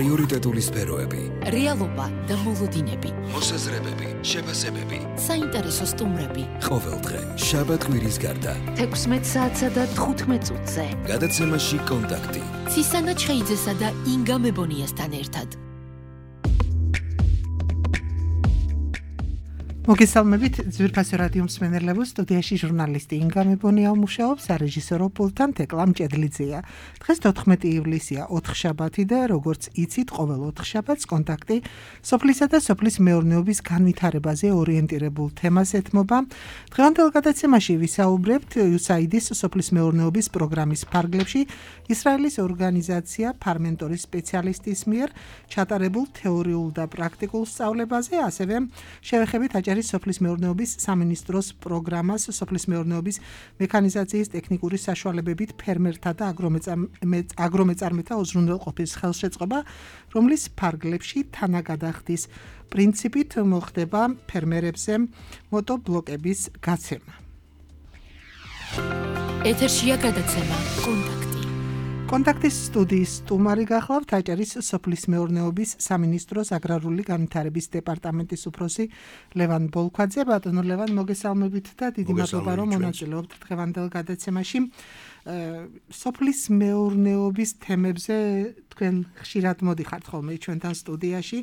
პრიორიტეტული სფეროები, რეალობა და მოლოდინები, მოსაზრებები, შეფასებები, საინტერესო სტუმრები. ყოველდღე, შაბათ-კვირის გარდა, 16 საათსა და 15 წუთზე. გადაცემაში კონტაქტი. ცისანა ჩხეიძესა და ინგა მებონიასთან ერთად. მოგესალმებით ძვირფასი რადიო მსმენელებო, სტუდიაში ჟურნალისტი ინგა მებონია მუშაობს, სარეჟისორო პულტთან თეკლა მჭედლიძეა. დღეს 14 ივლისია, 4 შაბათი და როგორც იცით, ყოველ 4 შაბათს კონტაქტი სოფლისა და სოფლის მეურნეობის განვითარებაზე ორიენტირებულ თემას ეთმობა. დღევანდელ გადაცემაში ვისაუბრებთ USAID-ის სოფლის მეურნეობის პროგრამის ფარგლებში ისრაელის ორგანიზაცია ფარმენტორის სპეციალისტის მიერ ჩატარებულ თეორიულ და პრაქტიკულ სწავლებაზე, ასევე შევეხებით სოფლის მეურნეობის სამინისტროს პროგრამას სოფლის მეურნეობის მექანიზაციის ტექნიკური საშუალებებით ფერმერთა და აგრომეწარმეთა უზრუნველყოფის ხელშეწყობა, რომლის ფარგლებში თანაგადახდის პრინციპით მოხდება ფერმერებზე მოтобლოკების გაცემა. ეთერშია გადაცემა კონტაქტის სტუდიის სტუმარი გახლავთ აჭარის სოფლის მეურნეობის სამინისტროს აგრარული განვითარების დეპარტამენტის უფროსი ლევან ბოლქვაძე. ბატონო ლევან, მოგესალმებით და დიდი მადლობა რომ მონაწილეობთ დღევანდელ გადაცემაში. სოფლის მეურნეობის თემებზე თქვენ ხშირად მოდიხართ ხოლმე ჩვენთან სტუდიაში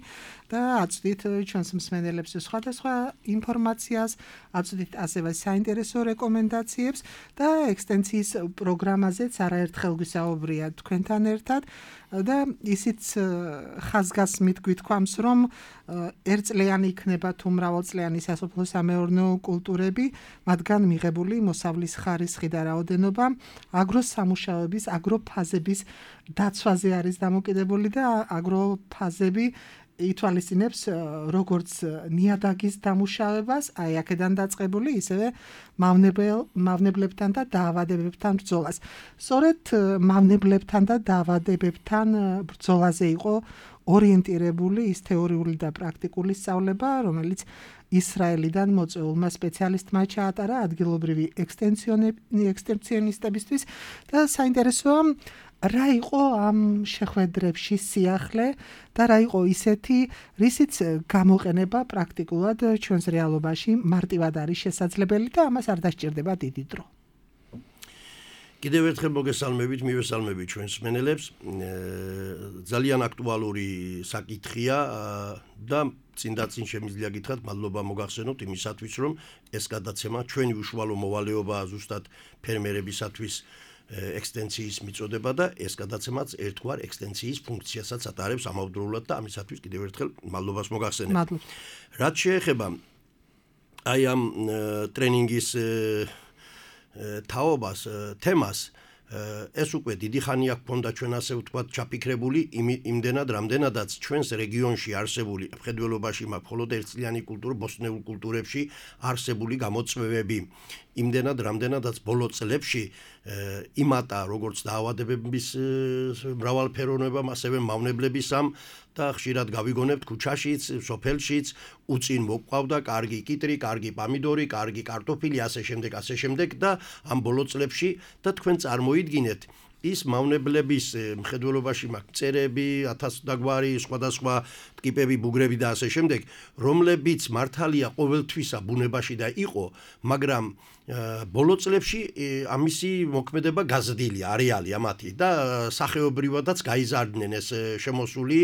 და აწვდით ჩვენს მსმენელებს სხვადასხვა ინფორმაციას, აწვდით ასევე საინტერესო რეკომენდაციებს და ექსტენსიის პროგრამაზეც არაერთხელ გვისაუბრია თქვენთან ერთად და ისიც ხაზგასმით გვითქვამს, რომ ერთწლიანი იქნება თუ მრავალწლიანი სასოფლო-სამეურნეო კულტურები, მათგან მიღებული მოსავლის ხარისხი და რაოდენობა აგროსამუშაოების, აგროფაზების დაცვაზე არის დამოკიდებული და აგროფაზები ითვალისწინებს როგორც ნიადაგის დამუშავებას, აი აქედან დაწყებული, ისევე მავნებლებთან და დაავადებებთან ბრძოლას. სწორედ მავნებლებთან და დაავადებებთან ბრძოლაზე იყო ორიენტირებული ის თეორიული და პრაქტიკული სწავლება, რომელიც ისრაელიდან მოწვეულმა სპეციალისტმა ჩაატარა ადგილობრივი ექსტენსიონისტებისთვის და საინტერესოა რა იყო ამ შეხვედრებში სიახლე და რა იყო ისეთი, რისიც გამოყენება პრაქტიკულად ჩვენს რეალობაში მარტივად არის შესაძლებელი და ამას არ დასჭირდება დიდი დრო. კიდევ ერთხელ მოგესალმებით, მივესალმებით ჩვენს მსმენელებს. ძალიან აქტუალური საკითხია და წინ შემიძლია გითხრათ, მადლობა მოგახსენოთ იმისათვის, რომ ეს გადაცემა ჩვენი უშუალო მოვალეობაა ზუსტად ფერმერებისათვის ექსტენსიის მიწოდება და ეს გადაცემაც ერთგვარ ექსტენსიის ფუნქციასაც ატარებს ამავდროულად და ამისათვის კიდევ ერთხელ მადლობას მოგახსენებ. რაც შეეხება აი ამ ტრენინგის თაობას, თემას, ეს უკვე დიდი ხანია გქონდა ჩვენ ასე ვთქვათ ჩაფიქრებული იმდენად რამდენადაც ჩვენს რეგიონში არსებული მხედველობაში მაქვს მხოლოდ ერთწლიანი კულტურა ბოსტნეულ კულტურებში არსებული გამოწვევები იმდენად რამდენადაც ბოლო წლებში იმატა როგორც დაავადებების მრავალფეროვნებამ, ასევე მავნებლების ამ და ხშირად გავიგონებთ ქუჩაშიც, სოფელშიც უწინ მოყვავდა კარგი კიტრი, კარგი პამიდორი, კარგი კარტოფილი, ასე შემდეგ და ამ ბოლო წლებში და თქვენ წარმოიდგინეთ ის მავნებლების მხედველობაში მაქვს მწერები, 1000 დაგვარი, სხვადასხვა ტკიპები, ბუგრები და ასე შემდეგ, რომლებიც მართალია ყოველთვისა ბუნებაში და იყო, მაგრამ ბოლო წლებში ამისი მოქმედება გაზრდილია, არეალია მათი და სახეობრივადაც გაიზარდნენ ეს შემოსული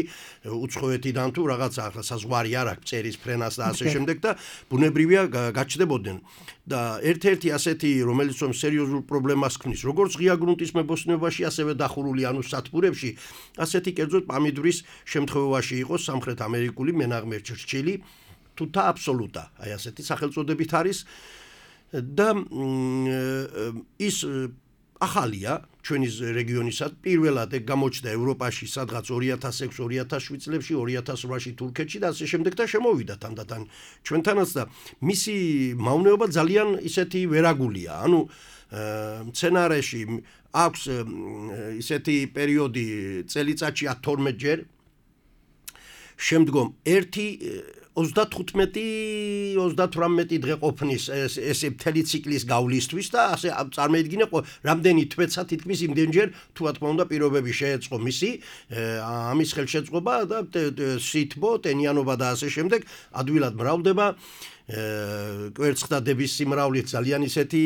უცხოეთიდან თუ რაღაცა საზღვარი არ აქვს წერის ფრენას და ასე შემდეგ და ბუნებრივია გაჩნდებოდნენ და ერთ-ერთი ასეთი რომელიც რომ სერიოზულ პრობლემას ქმნის როგორც ღია გრუნტის მებოსტნეობაში ასევე დახურული ანუ სათბურებში ასეთი კერძოდ პამიდურის შემთხვევაში იყო სამხრეთ ამერიკული მენაღმე ჩრჩილი თუთა აბსოლუტა აი ასეთი სახელწოდებით არის და ის ახალია ჩვენი რეგიონისად პირველად ეგ გამოჩნდა ევროპაში სადღაც 2006-2007 წლებში 2008-ში თურქეთში და ასე შემდეგ და შემოვიდა თანდათან ჩვენთანაც და მისი მავნეობა ძალიან ისეთი ვერაგულია ანუ სცენარეში აქვს ისეთი პერიოდი წელიწადში 12 ჯერ შემდგომ 35-38 დღე ყოფნის ესე მთელი ციკლის გავლისთვის და ასე წარმოედგინე რამდენი თვეცა თითქმის იმდენჯერ თუ რა თქმა უნდა პირობები შეეწყო მისი ამის ხელშეწყობა და სითბო, ტენიანობა და ასე შემდეგ ადვილად მრავლდება კვერცხდადების სიმრავლით ძალიან ისეთი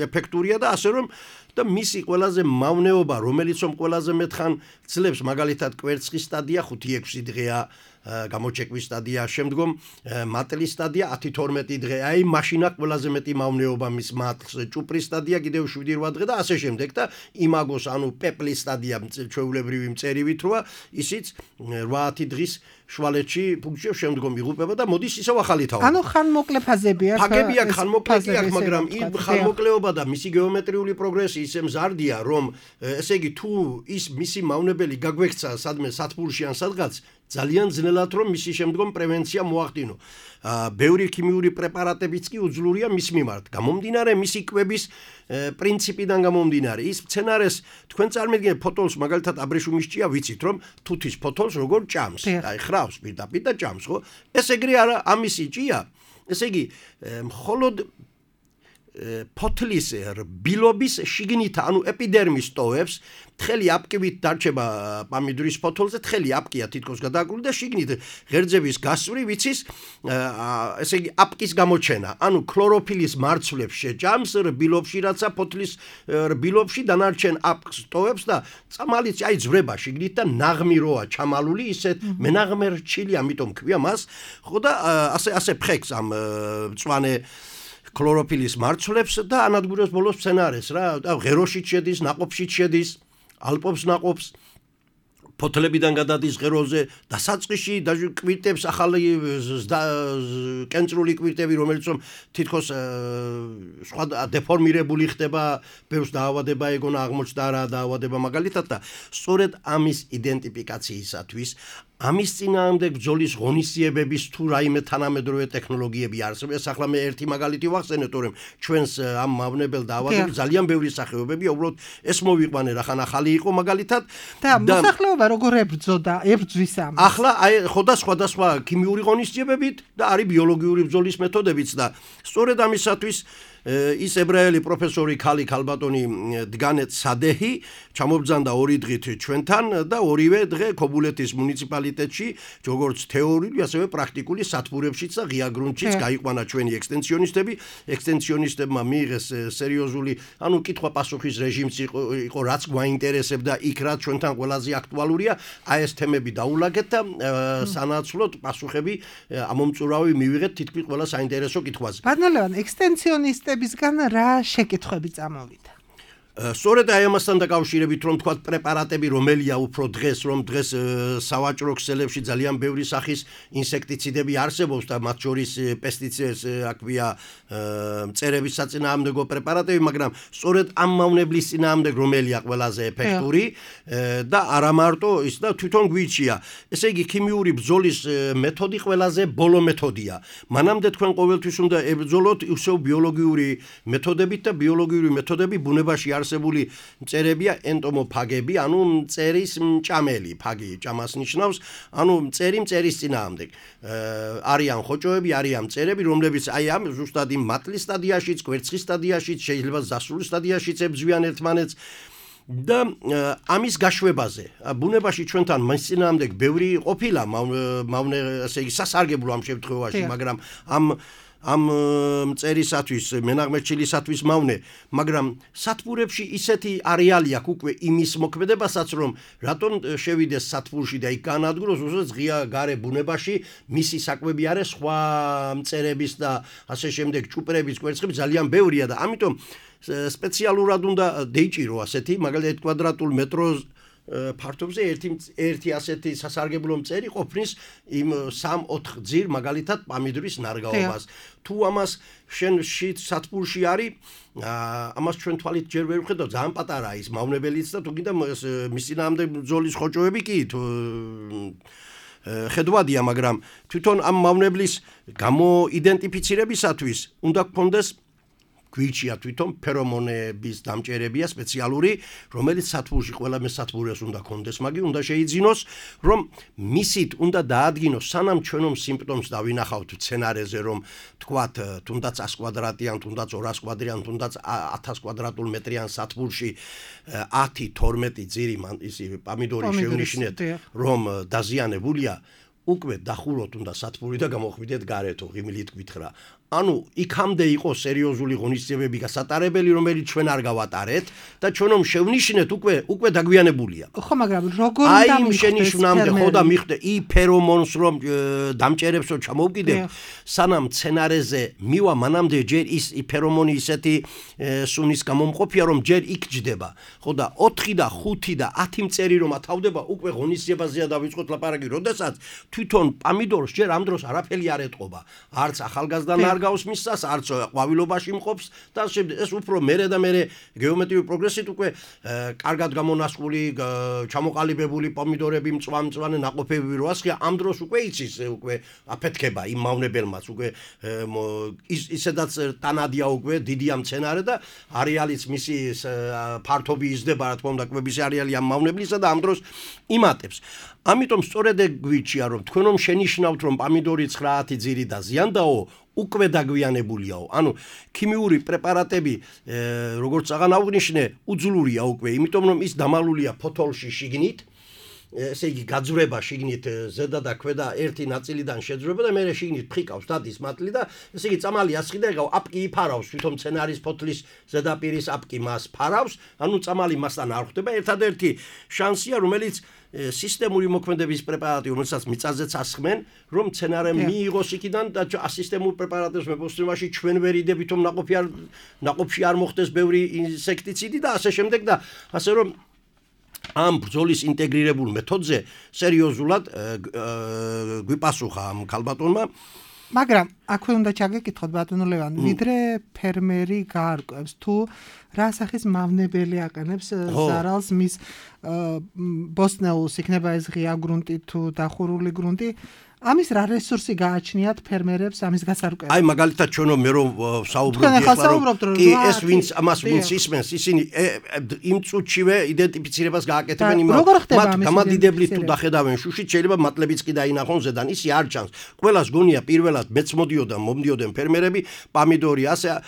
ეფექტურია და ასე რომ და მისი ყველაზე მავნეობა რომელიც რომ ყველაზე მეთხან ძლებს მაგალითად კვერცხის სტადია 5-6 დღეა გამოჩეკვის სტადია შემდგომ მატლის სტადია 10-12 დღე აი მაშინა ყველაზე მეტი მავნეობა მის მატლს ჭუპრის სტადია კიდევ 7-8 დღე და ასე შემდეგ და იმაგოს ანუ პეპლის სტადია ჩვეულებრივი მწერივით როა ისიც 8-10 დღის შვალეთში ფუნქციებს შემდგომ იღუპება და მოდის ისევ ახალი თაობა. ანუ ხანმოკლე ფაზები აქვს. ფაგები აქვს, ხანმოკლე აქვს, მაგრამ იმ ხანმოკლეობა და მისი გეომეტრიული პროგრესი ისე მზარდია, რომ ესე იგი თუ ის მისი მავნებელი გაგვექცა სადმე სათბურში ან სადღაც ძალიან ძნელად რომ მისი შემდგომ პრევენცია მოახდინო. ბევრი ქიმიური პრეპარატებიც კი უძლურია მის მიმართ. გამომდინარე მისი კვების პრინციპიდან გამომდინარე. ის მცენარეს თქვენ წარმოიდგინეთ ფოთოლს მაგალითად აბრეშუმის ჭია ვიცით რომ თუთის ფოთოლს როგორ ჭამს. აი ხრავს პირდაპირ და ჭამს, ხო? ეს ეგრე არა ამისი ჭია. ესე იგი მხოლოდ ფოთლის რბილობის შიგნით ანუ ეპიდერმის ტოვებს თხელი აპკივით დარჩება პამიდურის ფოთოლზე თხელი აპკია თითქოს გადააკვირდა და შიგნით ღერძების გასწვრივ იცის ესე იგი აპკის გამოჩენა ანუ ქლოროფილის მარცვლებს შეჭამს რბილობში რაცა ფოთლის რბილობში დანარჩენ აპკს ტოვებს და წამალიც აი ძვრება შიგნით და ნაღმი როა ჩამალული ისეთ მენაღმე რჩილი ამიტომ ქვია მას ხო და ასე ფხექს ამ მწვანე ქლოროფილის მარცვლებს და ანადგურებს ბოლოს მცენარეს რა და ღეროშიც შედის, ნაყოფშიც შედის, ალპობს ნაყოფს ფოთლებიდან გადადის ღეროზე და საწყისში კვირტებს ახალი კენწრული კვირტები რომელიც რომ თითქოს სხვა დეფორმირებული ხდება, ბევრს დაავადება ეგონა აღმოჩნდა რა დაავადება მაგალითად და სწორედ ამის იდენტიფიკაციისათვის ამის წინააღმდეგ ბრძოლის ღონისძიებების თუ რაიმე თანამედროვე ტექნოლოგიები არსებობს. ახლა მე ერთი მაგალითი ვახსენე, თორემ ჩვენს ამ მავნებელ დაავადებებს ძალიან ბევრი სახეობებია, უბრალოდ ეს მოვიყვანე რახან ახალი იყო მაგალითად და მოსახლეობა როგორ ებრძვის ამას. ახლა აი ხო და სხვადასხვა ქიმიური ღონისძიებებით და არის ბიოლოგიური ბრძოლის მეთოდებიც და სწორედ ამისათვის ის ებრაელი პროფესორი ქალი ქალბატონი დგანეთ სადეჰი ჩამობრძანდა 2 დღით ჩვენთან და ორივე დღე ქობულეთის მუნიციპალიტეტში როგორც თეორიული ასევე პრაქტიკული სათბურებშიც და ღია გრუნტშიც გაიყვანა ჩვენი ექსტენსიონისტებმა მიიღეს სერიოზული ანუ კითხვა-პასუხის რეჟიმიც იყო რაც გვაინტერესებდა იქ რაც ჩვენთან ყველაზე აქტუალურია აი ეს თემები დაულაგეთ და სანაცვლოდ პასუხები ამომწურავი მივიღეთ თითქმის ყველა საინტერესო კითხვაზე. ბატონო ლევან ექსტენსიონისტებისგან რა შეკითხვები წამოვიდა? სწორედ აი ამასთან დაკავშირებით რომ თქვა პრეპარატები რომელია უფრო დღეს რომ დღეს სავაჭრო ქსელებში ძალიან ბევრი სახის ინსექტიციდები არსებობს და მათ შორის პესტიციდებს აქვია მწერების საწინააღმდეგო პრეპარატები მაგრამ სწორედ ამ მავნებლის წინააღმდეგ რომელია ყველაზე ეფექტური და არა მარტო ის და თვითონ გვიჩია ესე იგი ქიმიური ბრძოლის მეთოდი ყველაზე ბოლო მეთოდია მანამდე თქვენ ყოველთვის უნდა ებრძოლოთ ისევ ბიოლოგიური მეთოდებით და ბიოლოგიური მეთოდები ბუნებაში არსებული მწერებია ენტომოფაგები, ანუ მწერის მჭამელი, ფაგი ჭამას ნიშნავს, ანუ მწერის წინააღმდეგ. არიან ხოჭოები, არიან მწერები, რომლებიც აი ამ ზუსტად იმ მატლის სტადიაშიც, კვერცხის სტადიაშიც, შეიძლება ზასული სტადიაშიც ებრძვიან ერთმანეთს და ამის გაშვებაზე. ბუნებაში ჩვენთან მის წინააღმდეგ ბევრი ყოფილა, მავნე, ასე იგი სასარგებლო ამ შემთხვევაში, მაგრამ ამ მწერისათვის, მენაღმერჩილისათვის მავნე, მაგრამ სათბურებში ისეთი არეალი აქვს უკვე იმის მოქმედებასაც, რომ რატომ შევიდეს სათბურში და იქ განადგუროს, უბრალოდ ღია გარე ბუნებაში მისი საკვები არის სხვა მწერების და ასე შემდეგ ჭუპრების, კვერცხების ძალიან ბევრია და ამიტომ სპეციალურად უნდა დეიჭირო ასეთი, მაგალითად კვადრატულ მეტროს ფართობზე ერთი ასეთი სასარგებლო მწერი ყოფნის იმ 3-4 გზირ მაგალითად პამიდურის ნარგავობას. თუ ამას შენში სათბურში არის, ამას ჩვენ თვალით ჯერ ვერ ვხედავ, ძალიან პატარაა ის მავნებელიც და თუ გინდა მის წინააღმდეგ ბრძოლის ხოჭოები კი ხედვადია, მაგრამ თვითონ ამ მავნებლის გამოიდენტიფიცირებისათვის უნდა გქონდეს გვიჩია თვითონ ფერომონების დამჭერებია სპეციალური, რომელიც სათბურში ყველა მესათბურეს უნდა კონდეს, მაგი უნდა შეიძინოს, რომ მისით უნდა დაადგინოს სანამ ჩვენო სიმპტომს დავინახავთ სცენარეზე, რომ თქვათ თუნდაც 100 კვადრატიან, თუნდაც 200 კვადრატიან, თუნდაც 1000 კვადრატულ მეტრიან სათბურში 10-12 ძირი ისი პომიდორი შევნიშნეთ, რომ დაზიანებულია, უკვე დახუროთ უნდა სათბური და გამოხვიდეთ გარეთო, ღიმილით გვითხრა. ანუ იქამდე იყო სერიოზული ღონისძიებები გასატარებელი, რომელიც ჩვენ არ გავატარეთ და ჩვენომ შევნიშნეთ უკვე დაგვიანებულია. ხო, მაგრამ როგორ უნდა აი შენიშვნამდე ხო და მიხვდე ფერომონს რომ დამჭერებსო ჩამოვკიდებ, სანამ სცენარეზე მივა მანამდე ჯერ ის ფერომონი ისეთი სუნის გამომყოფია, რომ ჯერ იქ ჯდება. ხო და 4 და 5 და 10 მწერი რომ ათავდება, უკვე ღონისძიებაზეა დავიწყოთ ლაპარაკი, როდესაც თვითონ პომიდორს ჯერ ამ დროს არაფერი არ ეტყობა. არც ახალგაზრდან არ გავს მისას, არც ყვავილობაში მყოფს და ეს უფრო მერე და მერე გეომეტრიული პროგრესით უკვე კარგად გამონასყული, ჩამოყალიბებული პომიდორები მწვანე ნაყოფები რო ასხია, ამ დროს უკვე იცის უკვე აფეთქება იმ მავნებელმაც, უკვე ისედაც ტანადია უკვე დიდია მცენარე და არეალიც მისი ფართობი იზრდება, რა თქმა უნდა, კვების არეალი ამ მავნებლისა და ამ დროს იმატებს. ამიტომ სწორედ გვიჩია, რომ თქვენომ შენიშნავთ, რომ პომიდორი 9 ძირი დაზიანდაო, უკვე დაგვიანებულიაო. ანუ ქიმიური პრეპარატები, როგორც აღარ აღვნიშნე, უძლურია უკვე, იმიტომ რომ ის დამალულია ფოთოლში შიგნით, ესე იგი გაძვრება შიგნით ზედა და ქვედა ერთი ნაწილიდან შეძვრება და მერე შიგნით ფხიკავს დადის მატლი და ესე იგი წამალი ასხი და ეკავ აპკი იფარავს თვითონ მცენარის ფოთლის ზედაპირის აპკი მას ფარავს, ანუ წამალი მასთან არ ხვდება. ერთადერთი შანსია, რომელიც სისტემური მოქმედების პრეპარატი, რომელსაც მიწაზეც ასხმენ, რომ მცენარე მიიღოს იქიდან და სისტემურ პრეპარატებს მეპოსტიმაში ჩვენ ვერ იდებით, რომ ნაყოფში არ მოხდეს ბევრი ინსექტიციდი და ასე შემდეგ და ასე რომ ამ ბრძოლის ინტეგრირებულ მეთოდზე სერიოზულად გვიპასუხა ამ ქალბატონმა. მაგრამ აქვე უნდა ჩაგეკითხოთ ბატონო ლევან, ვიდრე ფერმერი გაარკვევს თუ რა სახის მავნებელი აყენებს ზარალს მის ბოსტნეულს, იქნება ეს ღია გრუნტი თუ დახურული გრუნტი, ამის რა რესურსი გააჩნიათ ფერმერებს ამის გასარკვევად? აი მაგალითად ჩვენო მე რომ საუბრობდი ახლა კი ეს ვინც ამას ვინც ისმენს, ისინი იმ წუთშივე იდენტიფიცირებას გააკეთებენ მათ გამადიდებლით თუ დახედავენ შუშით, შეიძლება მატლებიც კი დაინახონ ზედან, ისი არ ჩანს. ყველას გონია პირველად მეც მომდიოდნენ ფერმერები, პომიდორი ასე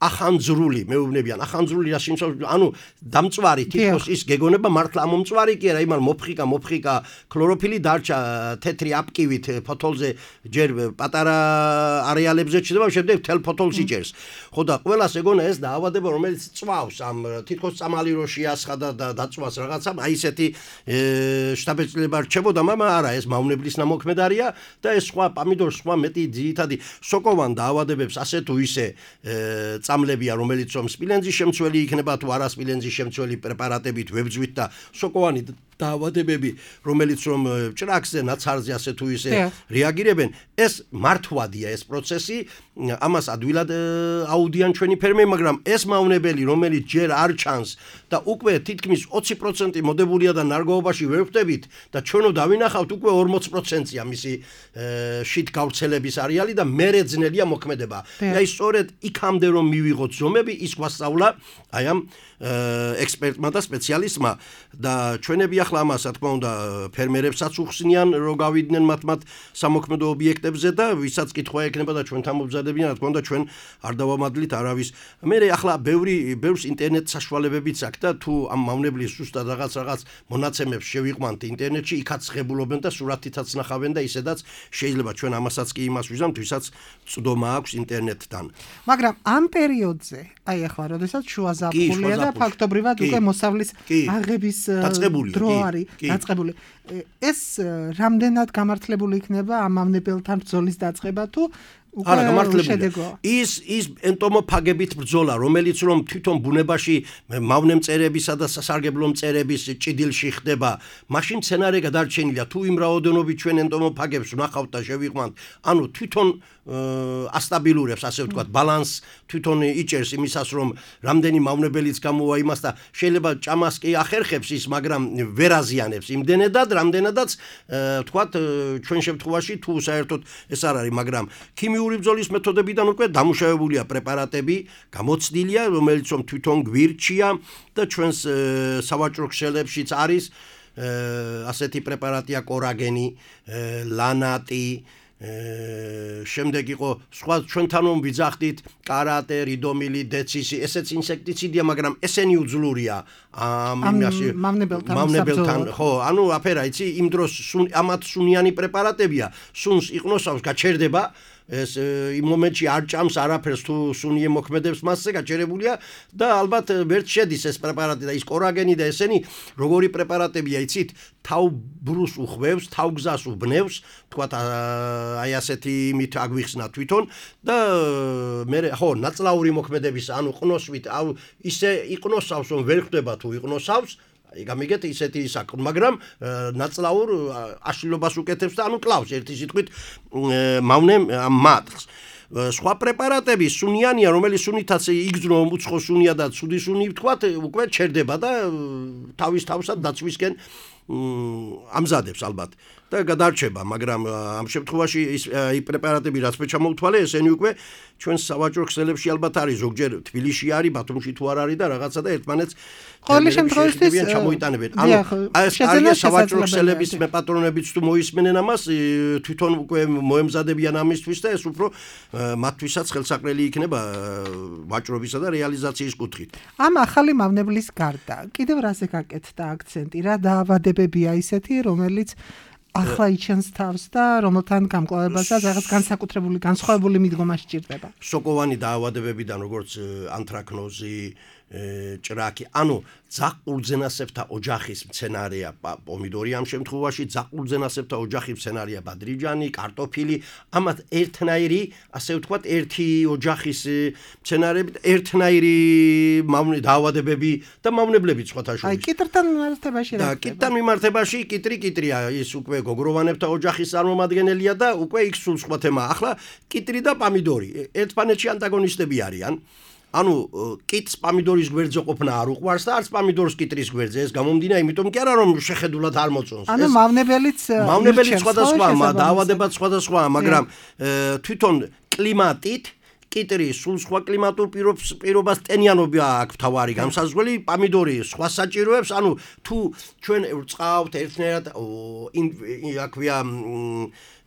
ახანძრული მეუბნებიან, ახანძრული რა სიმსავნე, ანუ დამწვარი თითქოს ის გეგონება მართლა ამომწვარი კი არა, იმან მოფხიკა ქლოროფილი დარჩა თეთრი აპკივით ფოთოლზე ჯერ პატარა არეალებზე ჩდება, შემდეგ თელ ფოთოლს იჭერს. ხო და ყველას ეგონა ეს დაავადება, რომელიც წვავს ამ თითქოს წამალი რო შეასხა და დაწვას რაღაცა, აი ესეთი შტაბეჭდილება რჩებოდა, მაგრამ არა, ეს მავნებლის ნამოქმედარია და ეს სხვა პომიდორს სხვა მეტი ძირითადი სოკოვან დაავადებებს ასე თუ ისე წამლებია, რომელიც რომ სპილენძის შემცველი იქნება თუ არა სპილენძის შემცველი პრეპარატებით ვებძვით და სოკოვანი დაავადებები, რომელიც რომ ჭრაკზე, ნაცარზე ასე თუ ისე რეაგირებენ, ეს მართვადია ეს პროცესი, ამას ადვილად აუდიან ჩვენი ფერმერები, მაგრამ ეს მავნებელი, რომელიც ჯერ არ ჩანს და უკვე თითქმის 20% მოდებულია და ნარგავობაში ვერ ხვდებით და ჩვენო დავინახავთ უკვე 40%-ია მისი შით გავრცელების არეალი და მერე ძნელია მოქმედება. აი სწორედ იქამდე რომ მივიღოთ ზომები, ის გვასწავლა აი ამ ექსპერტმა და სპეციალისტმა და ჩვენები ახლა ამას რა თქმა უნდა ფერმერებსაც უხსნიან რომ გავიდნენ მათ სამოქმედო ობიექტებზე და ვისაც კითხვა ექნება და ჩვენთან მომზადებიან რა თქმა უნდა ჩვენ არ დავამადლით არავის. მე ახლა ბევრს ინტერნეტ საშუალებებიც აქვს და თუ ამ მავნებლის ზუსტად რაღაც მონაცემებს შევიყვანთ ინტერნეტში, იქაც ღებულობენ და სურათითაც ნახავენ და ისედაც შეიძლება ჩვენ ამასაც კი იმას ვიზამთ, ვისაც წვდომა აქვს ინტერნეტთან. მაგრამ ამ პერიოდზე, აი ახლა როდესაც შუა ზაფხულია და ფაქტობრივად უკვე მოსავლის აღების დრო არის დაწყებული. ეს რამდენად გამართლებული იქნება ამ მავნებელთან ბრძოლის დაწყება თუ არა გამართლებული. ის ენტომოფაგებით ბრძოლა, რომელიც რომ თვითონ ბუნებაში მავნემწერებისა და სასარგებლო მწერების ჭიდილში ხდება, მაშინ სცენარე გადარჩენილია. თუ იმ რაოდენობით ჩვენ ენტომოფაგებს ვნახავთ და შევიყვანთ, ანუ თვითონ ასტაბილურებს, ასე ვთქვათ, ბალანსს თვითონ იჭერს იმისას, რომ რამდენი მავნებელიც გამოვა იმას და შეიძლება ჭამას კი ახერხებს ის, მაგრამ ვერ აზიანებს იმდენადად, რამდენადაც ვთქვათ, ჩვენ შემთხვევაში თუ საერთოდ ეს არ არის, მაგრამ ქიმიური ბიოლოგიური ბრძოლის მეთოდებიდან უკვე დამუშავებულია პრეპარატები, გამოცდილია, რომელიც თვითონ გვირჩია და ჩვენს სავაჭრო ქსელებშიც არის ასეთი პრეპარატია კორაგენი, ლანატი, შემდეგ იყო სხვა ჩვენთან რომ ვიძახდით კარატე, რიდომილი, დეცისი, ესეც ინსექტიციდია, მაგრამ ესენი უძლურია მავნებელთან, ხო, ანუ აფერა იცი, იმ დროს ამათ სუნიანი პრეპარატებია, სუნს იყნოსავს, გაჩერდება ეს იმ მომენტში არ ჭამს არაფერს თუ სუნი ემოქმედებს მასზე გაჭერებულია და ალბათ ვერც შედის ეს პრეპარატი და ის კორაგენი და ესენი როგორი პრეპარატებია იცით თავბრუს უხვევს თავგზას უბნევს თქვათ აი ასეთი იმით აგვიხსნა თვითონ და მე ხო ნაწლაური მოქმედების ანუ ყნოსვით ისე იყნოსავს რომ ვერ ხდება თუ იყნოსავს გამიგეთ ისეთი საკ მაგრამ ნაწლაურ აშლილობას უკეთებს და ანუ კლავს ერთი სიტყვით მავნე მატყს სხვა პრეპარატები სუნიანია რომელიც სუნითაც იგრძნო უცხო სუნია და ცუდი სუნი ვთქვათ უკვე ჩერდება და თავის თავსად დაცვისკენ ამზადებს ალბათ და გადარჩება მაგრამ ამ შემთხვევაში ის პრეპარატები რაც მე ჩამოვთვალე ესენი უკვე ჩვენს სავაჭრო ქსელებში ალბათ არის ზოგჯერ თბილისში არის ბათუმში თუ არ არის და რაღაცა და ერთმანეთს ყოველი შემთხვევაში ჩამოიტანებენ ანუ ეს არის სავაჭრო ქსელების მეპატრონებიც თუ მოისმენენ ამას თვითონ უკვე მოემზადებიან ამისთვის და ეს უფრო მათთვისაც ხელსაყრელი იქნება ვაჭრობისა და რეალიზაციის კუთხით ამ ახალი მავნებლის გარდა კიდევ რაზე გაკეთდა აქცენტი რა დაავადებებია ისეთი რომელიც ახლა იჩენს თავს და რომელთან გამკლავებასაც რაღაც განსაკუთრებული განსხვავებული მიდგომა სჭირდება. სოკოვანი დაავადებებიდან როგორც ანთრაკნოზი, ჭრაკი, ანუ ძაყურძენასებრთა ოჯახის მცენარეა პომიდორი ამ შემთხვევაში, ძაყურძენასებრთა ოჯახის მცენარეა ბადრიჯანი, კარტოფილი, ამათ ერთნაირი, ასე ვთქვათ, ერთი ოჯახის მცენარეებით ერთნაირი დაავადებები და მავნებლები სხვათა შორის. აი, კიტრთან მიმართებაში რა? და კიტრთან მიმართებაში კიტრია, ის უკვე გოგროვანებთა ოჯახის წარმომადგენელია და უკვე იქ სულ სხვა თემაა. ახლა კიტრი და პამიდორი ერთმანეთში ანტაგონისტები არიან. ანუ კიტს პამიდორის გვერდზე ყოფნა არ უყვარს და არც პამიდორს კიტრის გვერდზე ეს გამომდინა იმიტომ კი არა რომ შეხედულად არ მოწონს ანუ მავნებელიც სხვადასხვაა დაავადებაც სხვადასხვაა მაგრამ თვითონ კლიმატით კიტრი სულ სხვა კლიმატურ პირობას ტენიანობა აქვს თავარი გამსაზღვრელი პამიდორი სხვა საჭიროებს ანუ თუ ჩვენ ვწყავთ ერთნაირად აქვია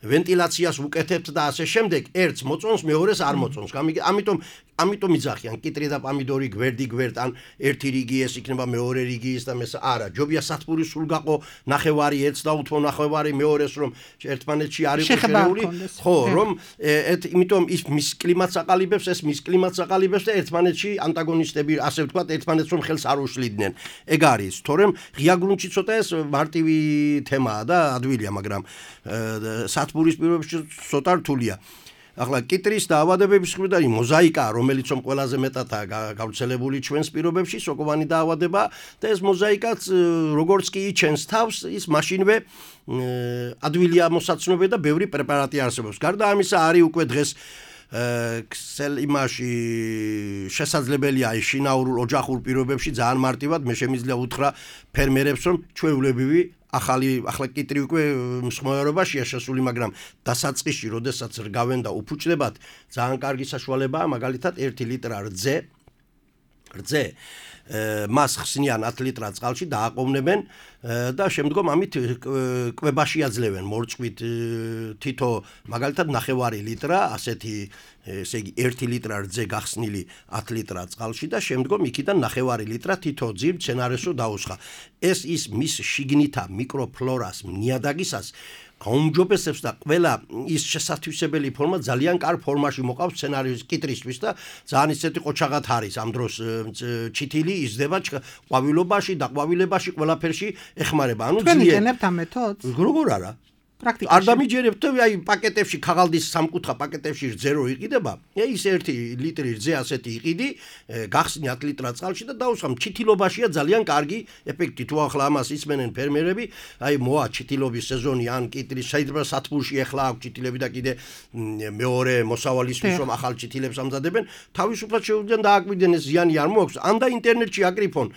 ვენტილაციას უკეთებთ და ასე შემდეგ ერთს მოწონს მეორეს არ მოწონს ამიტომ იძახიან კიტრი და პამიდორი გვერდ ან ერთი რიგი ეს იქნება მეორე რიგი ის და მესა არა ჯობია სათბური სულ გაყო ნახევარი ერთს და უთმო ნახევარი მეორეს რომ ერთმანეთში არ იყოს შერეული ხო რომ იმიტომ ის მის კლიმატს აყალიბებს ეს მის კლიმატს აყალიბებს და ერთმანეთში ანტაგონისტები ასე ვთქვათ ერთმანეთს რომ ხელს არ უშლიდნენ ეგ არის თორემ ღია გრუნტში ცოტა ეს მარტივი თემაა და ადვილია მაგრამ სათბურის პირობებში ცოტა რთულია ახლა კიტრის დაავადებების მხრიდან მოზაიკა რომელიც რომ ყველაზე მეტადაა გავრცელებული ჩვენს პირობებში სოკოვანი დაავადება და ეს მოზაიკაც როგორც კი იჩენს თავს ის მაშინვე ადვილია მოსაცნობე და ბევრი პრეპარატი არსებობს გარდა ამისა არის უკვე დღეს ქსელ იმაში შესაძლებელია შინაურულ ოჯახურ პირობებში ძალიან მარტივად მე შემიძლია უთხრა ფერმერებს რომ ჩვეულებრივი ახლა კიტრი უკვე მსხმოებაშია შესული, მაგრამ დასაწყისში, როდესაც რგავენ და უფუჭდებათ, ძალიან კარგი საშუალებაა, მაგალითად 1 ლიტრა რძე მას ხსნიან 10 ლიტრა წყალში დააყოვნებენ და შემდგომ ამით კვებაში აძლევენ მორწყვით თითო მაგალითად 9 ლიტრა ასეთი ესე იგი 1 ლიტრა რძე გახსნილი 10 ლიტრა წყალში და შემდგომ იქიდან 9 ლიტრა თითო ძირ მცენარესო დაუსხა ეს ის მის შიგნითა მიკროფლორას ნიადაგისას აუმჯობესებს და ყველა ის შესათავისებელი ფორმა ძალიან კარგ ფორმაში მოყავს სცენარის კიტრისთვის და ძალიან ისეთი ყოჩაღად არის ამ დროს ჩითილი იზრდება ყვავილობაში და ყვავილებაში ყველაფერში ეხმარება ანუ ძლიერ თქვენ იყენებთ ამ მეთოდს როგორ არა პრაქტიკაში არ დამიჯერებთ აი პაკეტებში ქაღალდის სამკუთხა პაკეტებში რძე რო იყიდება ის 1 ლიტრი რძე ასეთი იყიდი გახსნი 10 ლიტრა წყალში და დაუსხამ ჩითილობაშია ძალიან კარგი ეფექტი თუ ახლა ამას ისმენენ ფერმერები აი მოა ჩითილობის სეზონი ან კიტრის შეიძლება სათბურში ახლა აქვს ჩითილები და კიდე მეორე მოსავალისთვის რომ ახალ ჩითილებს ამზადებენ თავისუფლად შეუძლიან დააკვირდნენ ეს ზიანი არ მოაქვს ან და ინტერნეტში აკრიფონ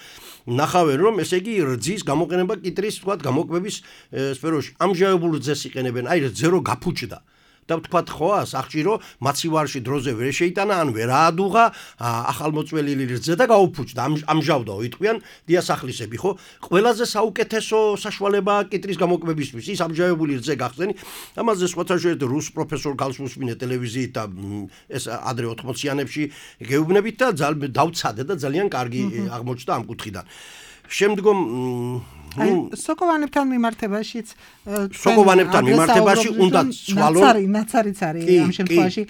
ნახავენ რომ ესე იგი რძის გამოყენება კიტრის თქვათ გამოკვების სფეროში ამჟავებულ რძეს იყენებენ აი რძე რო გაფუჭდა და ვთქვათ ხო სახჭირო მაცივარში დროზე ვერ შეიტანა ან ვერ აადუღა ახალმოწველი რძე და გაუფუჭდა ამჟავდაო იტყვიან დიასახლისები ხო ყველაზე საუკეთესო საშუალებაა კიტრის გამოკვებისთვის ის ამჟავებული რძე გახსენი ამაზე სხვათა შორის რუს პროფესორ გალს უსმინე ტელევიზიით და ეს ადრე 80-იანებში გეუბნებით და დავცადე და ძალიან კარგი აღმოჩნდა ამ კუთხიდან შემდგომ სოკოვანებთან მიმართებაშიც უნდა ცვალონ ნაცარიც არის ამ შემთხვევაში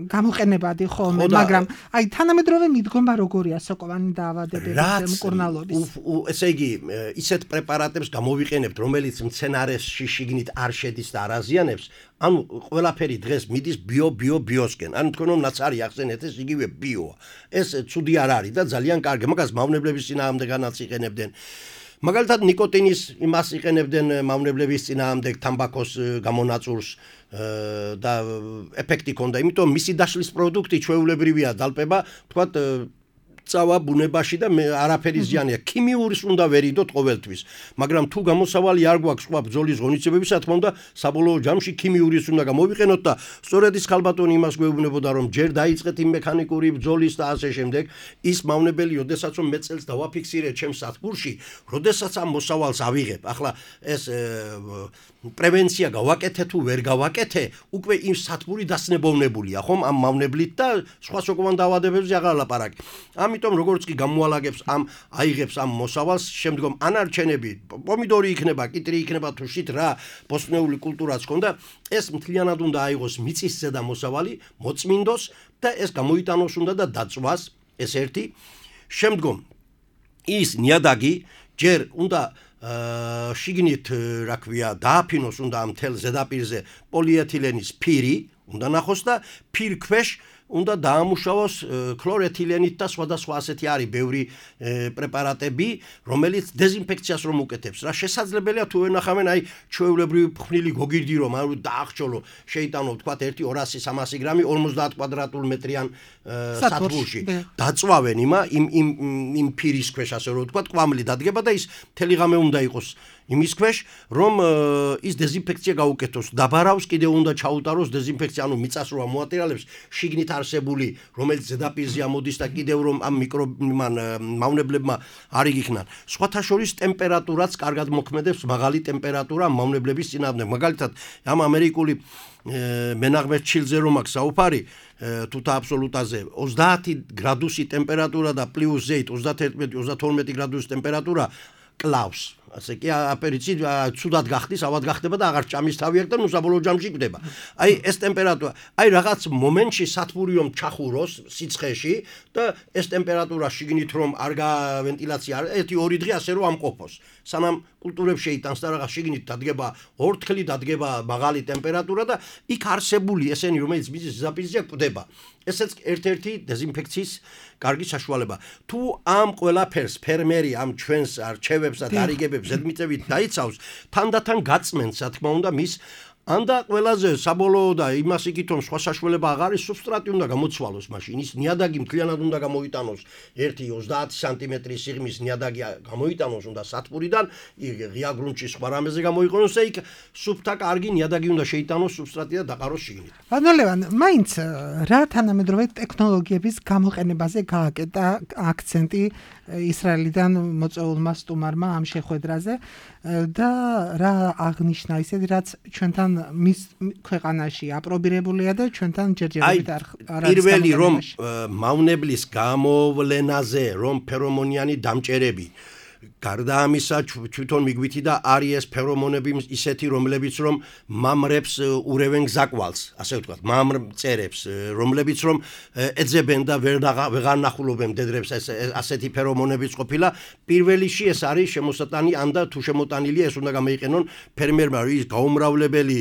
გამოყენებადი ხოლმე მაგრამ აი თანამედროვე მიდგომა როგორია სოკოვანი დაავადებების მკურნალობის ესე იგი ისეთ პრეპარატებს გამოვიყენებთ რომელიც მცენარესში შიგნით არ შედის და არ აზიანებს ანუ ყველაფერი დღეს მიდის ბიოსკენ ანუ თქვენ რომ ნაცარი ახსენეთ ეს იგივე ბიოა ეს ცუდი არ არის და ძალიან კარგი მაგას მავნებლების წინააღმდეგანაც იყენებდნენ მაგალითად ნიკოტინის იმას იყენებდნენ მავნებლების წინააღმდეგ თამბაქოს გამონაწურს და ეფექტი ჰქონდა იმიტომ მისი დაშლის პროდუქტი ჩვეულებრივია დალპება თქვათ წავა ბუნებაში და არაფერი ზიანია ქიმიურის უნდა ვერიდოთ ყოველთვის მაგრამ თუ გამოსავალი არ გვაქვს სხვა ბრძოლის ღონისძიებების რა თქმა უნდა საბოლოო ჯამში ქიმიურის უნდა გამოვიყენოთ და სწორედ ის ხალბატონი იმას გვეუბნებოდა რომ ჯერ დაიწყეთ იმ მექანიკური ბრძოლის და ასე შემდეგ ის მავნებელი როდესაც რომ მე წელს დავაფიქსირე ჩემს სათბურში როდესაც ამ მოსავალს ავიღებ ახლა ეს პრევენცია გავაკეთე თუ ვერ გავაკეთე უკვე იმ სათბური დასნებოვნებულია ხომ ამ მავნებლით და სხვა სოკოვან დაავადებებზე აღარ ლაპარაკი ამიტომ როგორც კი გამოალაგებს აიღებს ამ მოსავალს შემდგომ ანარჩენები პომიდორი იქნება კიტრი იქნება თუ შით რა ბოსტნეული კულტურაც ხონდა ეს მთლიანად უნდა აიღოს მიწის ზედა მოსავალი მოწმინდოს და ეს გამოიტანოს უნდა და დაწვას ეს ერთი შემდგომ ის ნიადაგი ჯერ უნდა შიგნით რა ქვია დააფინოს უნდა ამ თელ ზედაპირზე პოლიეთილენის ფირი უნდა ნახოს და ფირქვეშ უნდა დაამუშავოს ქლორეთილენით და სხვადასხვა ასეთი არის ბევრი პრეპარატები რომელიც დეზინფექციას რომ უკეთებს რა შესაძლებელია თუ ვენახავენ აი ჩვეულებრივი ფხვნილი გოგირდი რომ არ დაახჭოლო შეიტანო თქვა 1-200-300 გრამი 50 კვადრატულ მეტრიან სათბურში დაწვავენ იმ ფირის ქვეშ ასე რომ თქვა კვამლი დადგება და ის მთელი ღამე უნდა იყოს იმის ქვეშ რომ ის დეზინფექცია გაუკეთოს დაბარავს კიდე უნდა ჩაუტაროს დეზინფექცია ანუ მიწას რო ამოატირალებს შიგნით არსებული რომელიც ზედაპირზე ამოდის და კიდევ რომ ამ მავნებლებმა არ იგიქნან სხვათა შორის ტემპერატურაც კარგად მოქმედებს მაღალი ტემპერატურა მავნებლების წინააღმდეგ მაგალითად ამ ამერიკული მენაღმე ჩილზე რომ აქვს საუბარი თუთა აბსოლუტაზე 30 გრადუსი ტემპერატურა და პლუს ზეით 31-32 გრადუსი ტემპერატურა კლავს ასე კი აპერიცი ცუდად გახდის ავად გახდება და აღარ ჭამის თავი აქვს და ნუ საბოლოო ჯამში კვდება აი ეს ტემპერატურა აი რაღაც მომენტში სათბური რომ ჩახუროს სიცხეში და ეს ტემპერატურა შიგნით რომ არ გავენტილაცია 1-2 დღე ასე რომ ამყოფოს სანამ კულტურებს შეიტანს და რაღაც შიგნით დადგება ორთქლი დადგება მაღალი ტემპერატურა და იქ არსებული ესენი რომელიც მიწის ზედაპირზეა კვდება ესეც ერთ-ერთი დეზინფექციის კარგი საშუალება თუ ამ ყველაფერს ფერმერი ამ ჩვენს არჩევებს და დარიგებებს ზედმიწევით დაიცავს თანდათან გაწმენს რა თქმა უნდა მის ანდა ყველაზე საბოლოო და იმას იგით რომ სხვა საშუალება აღარ არის სუბსტრატი უნდა გამოცვალოს მაშინ ის ნიადაგი მთლიანად უნდა გამოიტანოს 1-30 სანტიმეტრის სიღრმის ნიადაგი გამოიტანოს უნდა სათბურიდან ღია გრუნტში სხვა რამეზე გამოიყენოს და იქ სუფთა კარგი ნიადაგი უნდა შეიტანოს სუბსტრატი და დაყაროს შიგნით ბატონო ლევან მაინც რა თანამედროვე ტექნოლოგიების გამოყენებაზე გააკეთა აქცენტი ისრაელიდან მოწვეულმა სტუმარმა ამ შეხვედრაზე და რა აღნიშნა ისეთი რაც ჩვენთან მის ქვეყანაში აპრობირებულია და ჩვენთან ჯერჯერობით არ არის პირველი რომ მავნებლის გამოვლენაზე რომ ფერომონიანი დამჭერები გარდა ამისა თვითონ მიგვითი და არის ეს ფერომონები ისეთი რომლებიც რომ მამრებს ურევენ გზაკვალს ასე ვთქვათ მამრწერებს რომლებიც რომ ეძებენ და ვეღარ ნახულობენ მდედრებს ასეთი ფერომონებიც ყოფილა პირველში ეს არის შემოსატანი ან და თუ შემოტანილია ეს უნდა გამოიყენონ ფერმერმა ის გაუმრავლებელი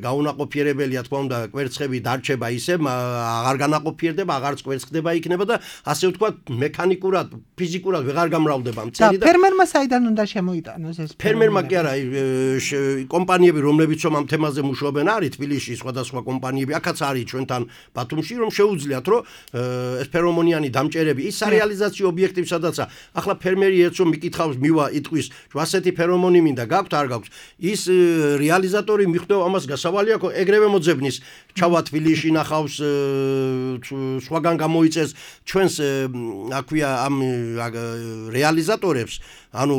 გაუნაყოფიერებელია თქვა უნდა კვერცხები დარჩება ისე აღარ განაყოფიერდება აღარც კვერცხდება იქნება და ასე ვთქვათ მექანიკურად ფიზიკურად ვეღარ გამრავლდება მწერი და ფერმერმა საიდან უნდა შემოიტანოს ეს? ფერმერმა კი არა, კომპანიები, რომლებიც ამ თემაზე მუშაობენ, არის თბილისში სხვადასხვა კომპანიები, აქაც არის ჩვენთან ბათუმში, რომ შეუძლიათ, რომ ეს ფერომონიანი დამჭერები, ის სარეალიზაციო ობიექტი, სადაც ახლა ფერმერი ერთს მიკითხავს, მივა იტყვის, რომ ასეთი ფერომონი მინდა, გაქვთ, არ გაქვთ. ის რეალიზატორი მიხვდება ამას გასავალი აქვს, ეგრევე მოძებნის, ჩავა თბილისში ნახავს, სხვაგან გამოიწეს ჩვენს აქვია ამ რეალიზატორებს, ანუ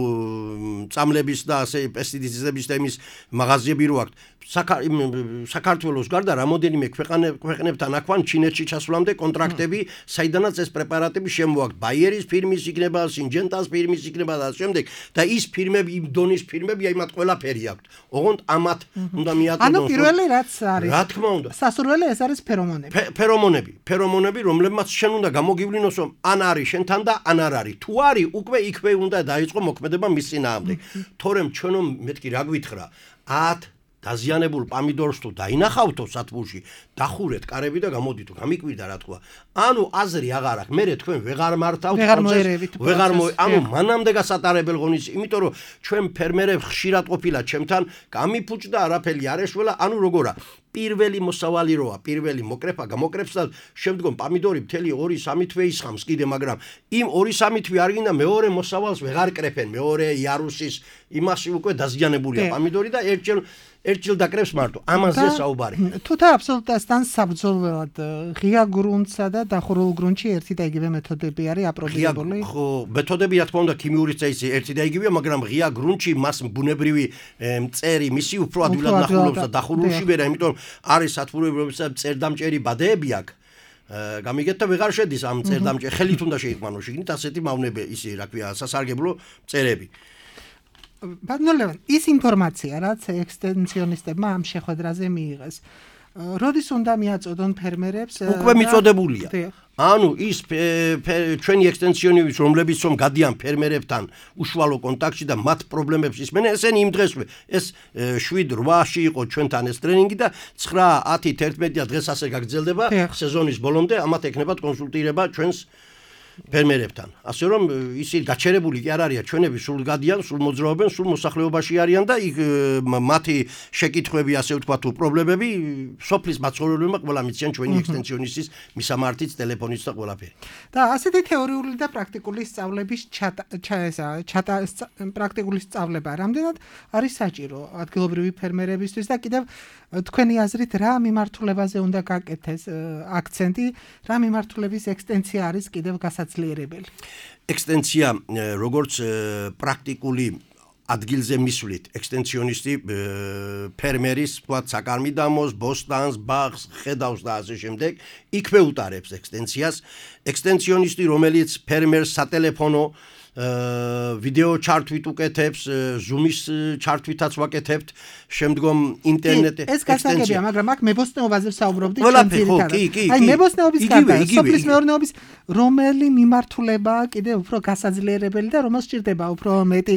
წამლების და ასე პესტიციდების და იმის მაღაზიები რო აქვს. საქართველოს გარდა რამოდენიმე ქვეყნებთან აქვთ ჩინეთში ჩასვლამდე კონტრაქტები, საიდანაც ეს პრეპარატები შემოაქვთ. ბაიერის ფირმის იქნება, სინჯენტას ფირმის იქნება და შემდეგ და ის ფირმები, იმ დონის ფირმები, აიმათ ყველაფერი აქვთ. ოღონდ ამათ უნდა მიატყდონ. ანუ პირველი რაც არის. რა თქმა უნდა. სასურველი ეს არის ფერომონები. ფერომონები, რომლებმაც შენ უნდა გამოგივლინოს, რომ ან არის შენთან და ან არ არის. თუ არის, უკვე იქვე უნდა დაიწყო მოქმედება მის წინააღმდეგ. თორემ ჩვენო მეთქი რა გვითხრა, 10 დაზიანებულ პამიდორს თუ დაინახავთო სათბურში, დახურეთ კარები და გამოდითო, გამიკვირდა რა თქვა. ანუ აზრი აღარ აქვს. მე თქვენ ვეღარ მართავთ პროცესს, ანუ მანამდე გასატარებელ ღონისძიებას, იმიტომ რომ ჩვენ ფერმერებს ხშირად ყოფილა ჩემთან, გამიფუჭდა არაფერი არ ეშველა, ანუ როგორა პირველი მოსავალი როა, პირველი მოკრეფა გამოკრებს და შემდგომ პამიდორი მთელი 2-3 თვე ისხამს კიდე, მაგრამ იმ 2-3 თვე არ გინდა მეორე მოსავალს ვეღარ კრეფენ, მეორე იარუსის იმაში უკვე დაზიანებულია პამიდორი და ერთჯერ დაკრებს მარტო. ამაზე საუბარი. თუთა აბსოლუტასთან საბრძოლველად ღია გრუნტსა და დახურულ გრუნტში ერთი და იგივე მეთოდები არის აპრობირებული? ხო, მეთოდები რა თქმა უნდა ქიმიური წესი ერთი და იგივეა, მაგრამ ღია გრუნტში მას ბუნებრივი მწერი, მისი უფრო ადვილად ნახულობს და დახურულში ვერა, იმიტომ არის სათბურები, რომელსაც წერდამჭერი ბადეები აქვს. გამიგეთ და ვეღარ შედის ამ წერდამჭერი, ხელით უნდა შეიყვანო შიგნით ასეთი მავნები, ისი რა ქვია, სასარგებლო მწერები. ბატონო, ის ინფორმაცია, რაც ექსტენსიონისტებმა ამ შეხვედრაზე მიიღეს, როდის უნდა მიაწოდონ ფერმერებს? უკვე მიწოდებულია. ანუ ის ჩვენი ექსტენსიონისტები, რომლებიც რომ გადიან ფერმერებთან უშუალო კონტაქტში და მათ პრობლემებს ისმენენ, ესენი იმ დღესვე ეს 7-8-ში იყო ჩვენთან ეს ტრენინგი და 9-10-11 დღეს ასე გაგრძელდება სეზონის ბოლომდე, ამათ ექნებათ კონსულტირება ჩვენს ფერმერებთან. ასე რომ ისინი გაჩერებული კი არ არიან, ჩვენები სულ გადიან, სულ მოძრაობენ, სულ მოსახლეობაში არიან და იქ მათი შეკითხვები, ასე ვთქვათ, თუ პრობლემები სოფლის მაცხოვრებლებმა ყველა მიციან ჩვენი ექსტენსიონისტის მისამართიც, ტელეფონიც და ყველაფერი. და ასეთი თეორიული და პრაქტიკული სწავლების პრაქტიკული სწავლება რამდენად არის საჭირო ადგილობრივი ფერმერებისთვის და კიდევ თქვენი აზრით რა მიმართულებაზე უნდა გაკეთდეს აქცენტი, რა მიმართულების ექსტენსია არის კიდევ გასაძლიერებელი? ექსტენსია როგორც პრაქტიკული ადგილზე მისვლით, ექსტენსიონისტი ფერმერის, თქვათ, საკარმიდამოს, ბოსტანს, ბაღს, ხედავს და ასე შემდეგ, იქვე უტარებს ექსტენსიას. ექსტენსიონისტი, რომელიც ფერმერს სატელეფონო ვიდეო ჩართვით უკეთებს, ზუმის ჩართვითაც ვაკეთებთ, შემდგომ ინტერნეტზე ეს გასაგებია, მაგრამ აქ მებოსტნეობაზე ვსაუბრობდით ძირითადად. აი მებოსტნეობის გარდა, სოფლის მეურნეობის რომელი მიმართულებაა კიდე უფრო გასაძლიერებელი და რომელს სჭირდება უფრო მეტი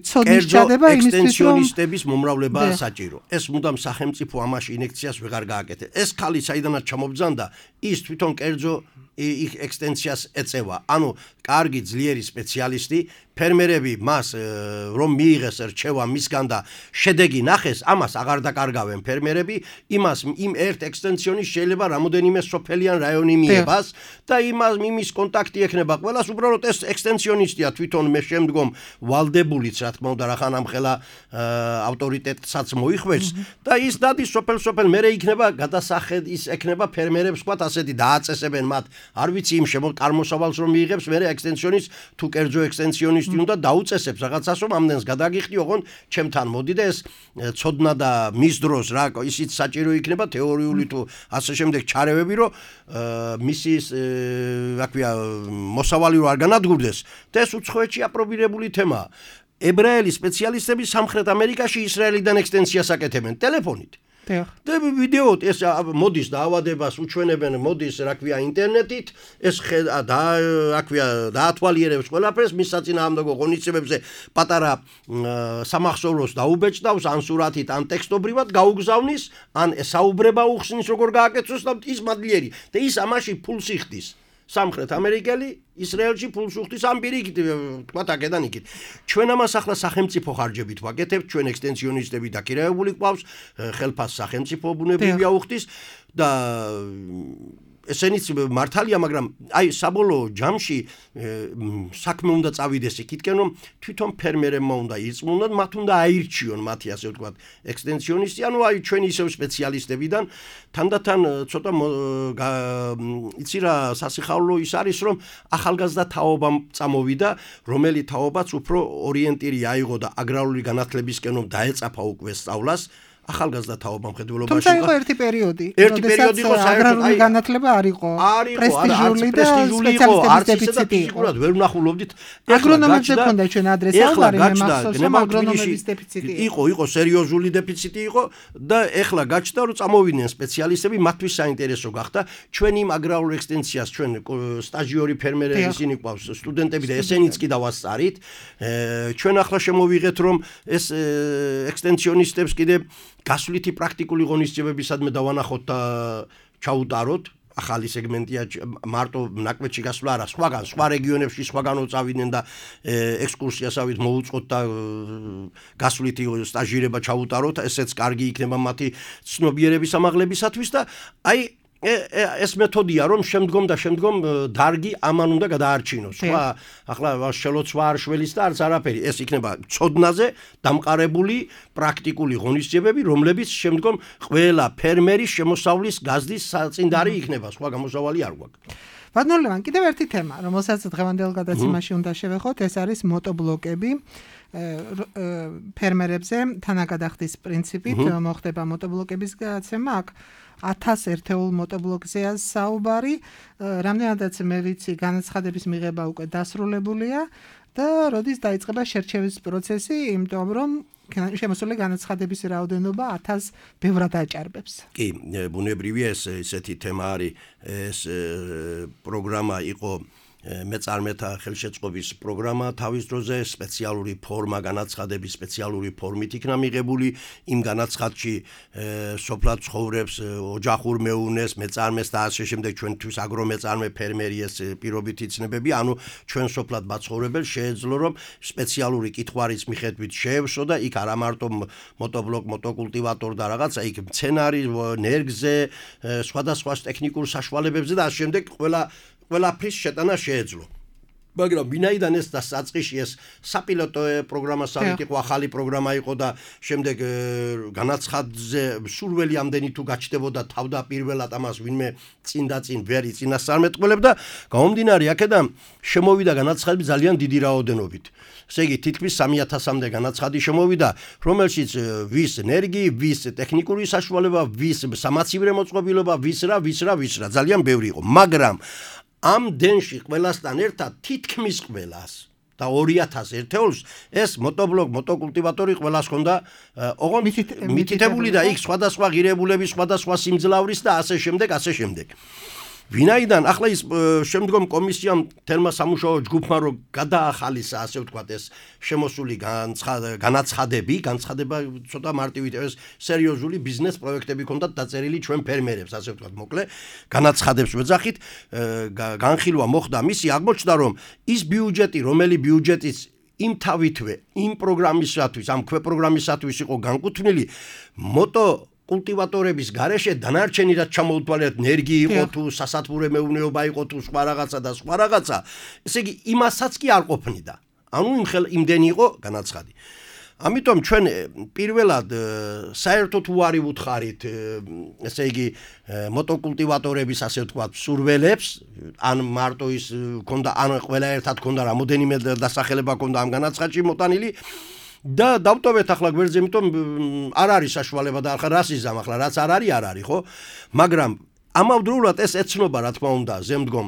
ცოდნის ჩადება იმისთვის, რომ ექსტენსიონისტების მომრავლებაა საჭირო. ეს მუდამ სახელმწიფო ამაში ინექციას ვეღარ გააკეთებს. ეს ხალი საიდანაც ჩამობძანდა, ის თვითონ კერძო ექსტენსიას ეწევა. ანუ კარგი ძლიერი სპეციალისტი, ფერმერები მას რომ მიიღეს რჩევა მისგან და შედეგი ნახეს, ამას აღარ დაკარგავენ ფერმერები, იმას იმ ერთ ექსტენსიონის შეიძლება რამოდენიმე სოფელიან რაიონი მიებას და იმის კონტაქტი ექნება ყველას, უბრალოდ ეს ექსტენსიონისტია თვითონ მე შემდგომ ვალდებულიც, რა თქმა უნდა, რახან ამხელა ავტორიტეტსაც მოიხვეჭს და ის დადის სოფელ-სოფელ, მერე იქნება გადასახედ ის ექნება ფერმერებს, ვთქვათ, ასეთი დააწესებენ მათ, არ ვიცი იმ წარმოსავალს რომ მიიღებს, მერე ექსტენსიონის თუ კერძო ექსტენსიონის უნდა დაუწესებს რაღაცას, რომ ამდენს გადაგიხდი, ოღონდ ჩემთან მოდი და ეს ცოდნა და მის დროს რა ისიც საჭირო იქნება თეორიული თუ ასე შემდეგ ჩარევები, რომ მისის რა ქვია მოსავალი არ განადგურდეს და ეს უცხოეთში აპრობირებული თემაა. ებრაელი სპეციალისტები სამხრეთ ამერიკაში ისრაელიდან ექსტენსიას აკეთებენ ტელეფონით. და ვიდეოთ ეს მოდის დაავადებას უჩვენებენ, მოდის რა ქვია ინტერნეტით, ეს რა ქვია დაათვალიერებს ყველაფერს, მის საწინააღმდეგო ღონისძიებებზე პატარა სამახსოვროს დაუბეჭდავს, ან სურათით, ან ტექსტობრივად გაუგზავნის, ან საუბრება უხსნის როგორ გააკეთოს და ის მადლიერი და ის ამაში ფულს იხდის. სამხრეთ ამერიკელი ისრაელში ფულს უხდის ამ პირიქით თქვათ აქედან იქით ჩვენ ამას ახლა სახელმწიფო ხარჯებით ვაკეთებთ ჩვენ ექსტენსიონისტები დაქირავებული გვყავს ხელფას სახელმწიფო ბუნებრივია უხდის და ესენიც მართალია მაგრამ აი საბოლოო ჯამში საქმე უნდა წავიდეს იქითკენ რომ თვითონ ფერმერებმა უნდა იწმუნდათ მათ უნდა აირჩიონ მათი ასე ვთქვათ ექსტენსიონისტი ანუ აი ჩვენ ისევ სპეციალისტებიდან თანდათან ცოტა იცი რა სასიხაულო ის არის რომ ახალგაზრდა თაობამ წამოვიდა რომელი თაობაც უფრო ორიენტირი აიღო და აგრარული განათლებისკენ რომ დაეწაფა უკვე სწავლას ახალგაზრდა თაობა მხედველობაში თუმცა იყო ერთი პერიოდი იყო აგრარული განათლება არ იყო პრესტიჟული და სპეციალისტების დეფიციტი იყო ვერ ვნახულობდით აგრონომებზე ქონდა ჩვენ ადრესი საუბარი მე მახსოვს რომ აგრონომების დეფიციტი იყო სერიოზული დეფიციტი იყო და ეხლა გაჩნდა რომ წამოვიდნენ სპეციალისტები მათთვის საინტერესო გახდა ჩვენ იმ აგრარულ ექსტენსიას ჩვენ სტაჟიორი ფერმერები ისინი ყავს სტუდენტები და ესენიც კი დავასწარით ჩვენ ახლა შემოვიღეთ რომ ეს ექსტენსიონისტებს კიდე გასვლითი პრაქტიკული ღონისძიებებისადმე დავანახოთ და ჩაუტაროთ ახალი სეგმენტია მარტო ნაკვეთში გასვლა არა სხვა რეგიონებში სხვაგანო წავიდნენ და ექსკურსიასავით მოუწყოთ და გასვლითი სტაჟირება ჩაუტაროთ ესეც კარგი იქნება მათი ცნობიერების ამაღლებისათვის და აი ეს მეთოდია რომ შემდგომ დარგი ამან უნდა გადაარჩინოს სხვა ახლა შელოცვა არ შველის და არც არაფერი ეს იქნება ცოდნაზე დამყარებული პრაქტიკული ღონისძიებები რომლებიც შემდგომ ყველა ფერმერის შემოსავლის გაზდის საწინდარი იქნება სხვა გამოსავალი არ გვაქვს ბატონო ლევან კიდევ ერთი თემა რომელსაც დღევანდელ გადაცემაში უნდა შევეხოთ ეს არის მოტობლოკები ფერმერებზე თანაგადახდის პრინციპით მოხდება მოტობლოკების გადაცემა აქ 1000 ერთეულ მოტობლოკზეა საუბარი რამდენადაც მე ვიცი განაცხადების მიღება უკვე დასრულებულია და როდის დაიწყება შერჩევის პროცესი იმიტომ რომ შემოსული განაცხადების რაოდენობა 1000 ბევრად აჭარბებს კი ბუნებრივია ესეთი თემა არის ეს პროგრამა იყო მეწარმეთა ხელშეწყობის პროგრამა თავის დროზე სპეციალური ფორმა განაცხადების სპეციალური ფორმით იქნა მიღებული იმ განაცხადში სოფლად ცხოვრებს ოჯახურ მეუნეს მეწარმეს და ასე შემდეგ ჩვენთვის აგრომეწარმე ფერმერი ეს პირობითი ცნებები ანუ ჩვენ სოფლად მაცხოვრებელს შეეძლო რომ სპეციალური კითხვარის მიხედვით შეევსო და იქ არა მარტო მოტობლოკ მოტოკულტივატორ და რაღაცა იქ მცენარი ნერგზე სხვადასხვა ტექნიკურ საშუალებებზე და ასე შემდეგ ყველაფრის შეტანა შეეძლო. მაგრამ ვინაიდან ეს დასაწყისში ეს საპილოტო პროგრამასავით იყო ახალი პროგრამა იყო და შემდეგ განაცხადზე სურველი ამდენი თუ გაჩნდებოდა თავდაპირველად ამას ვინმე წინ ვერ იწინასწარმეტყველებდა გამომდინარე აქედან შემოვიდა განაცხადები ძალიან დიდი რაოდენობით. ესე იგი თითქმის 3000-მდე განაცხადი შემოვიდა რომელშიც ვის ენერგი, ვის ტექნიკური საშუალება, ვის სამაცივრე მოწყობილობა, ვის რა ძალიან ბევრი იყო. მაგრამ ამ დენში ყველასთან ერთად თითქმის ყველას და 2000 ერთეულს ეს მოტობლოკ მოტოკულტივატორი ყველას ჰქონდა ოღონდ მითითებული და იქ სხვადასხვა ღირებულები სხვადასხვა სიმძლავრის და ასე შემდეგ ვინაიდან ახლა ის შემდგომ კომისიამ თელმა სამუშაო ჯგუფმა რო გადაახალისა ასე ვთქვათ ეს შემოსული განაცხადება ცოტა მარტივით ეს სერიოზული ბიზნეს პროექტები ჰქონდათ დაწერილი ჩვენ ფერმერებს ასე ვთქვათ მოკლე განაცხადებს ვეძახით განხილვა მოხდა მისი აღმოჩნდა რომ ის ბიუჯეტი რომელი ბიუჯეტის იმ თავითვე იმ პროგრამისათვის ამ ქვეპროგრამისათვის იყო განკუთვნილი კულტივატორების გარეშე დანარჩენი რაც ჩამოუთვალეთ ენერგი იყო თუ სასათბურე მეურნეობა იყო თუ სხვა რაღაცა ესე იგი იმასაც კი არ ყოფნიდა ანუ იმდენი იყო განაცხადი ამიტომ ჩვენ პირველად საერთოდ უარი ვუთხარით ესე იგი მოტოკულტივატორების ასე ვთქვათ სურველებს ან მარტო ის ქონდა ან ყველა ერთად ქონდა რამოდენიმე დასახელება ქონდა ამ განაცხადში მოტანილი და დავტოვეთ ახლა გვერდზე, იმიტომ არ არის საშუალება და ახლა რას იზამ ახლა რაც არ არის ხო? მაგრამ ამავდროულად ეს ეცნობა რა თქმა უნდა ზემდგომ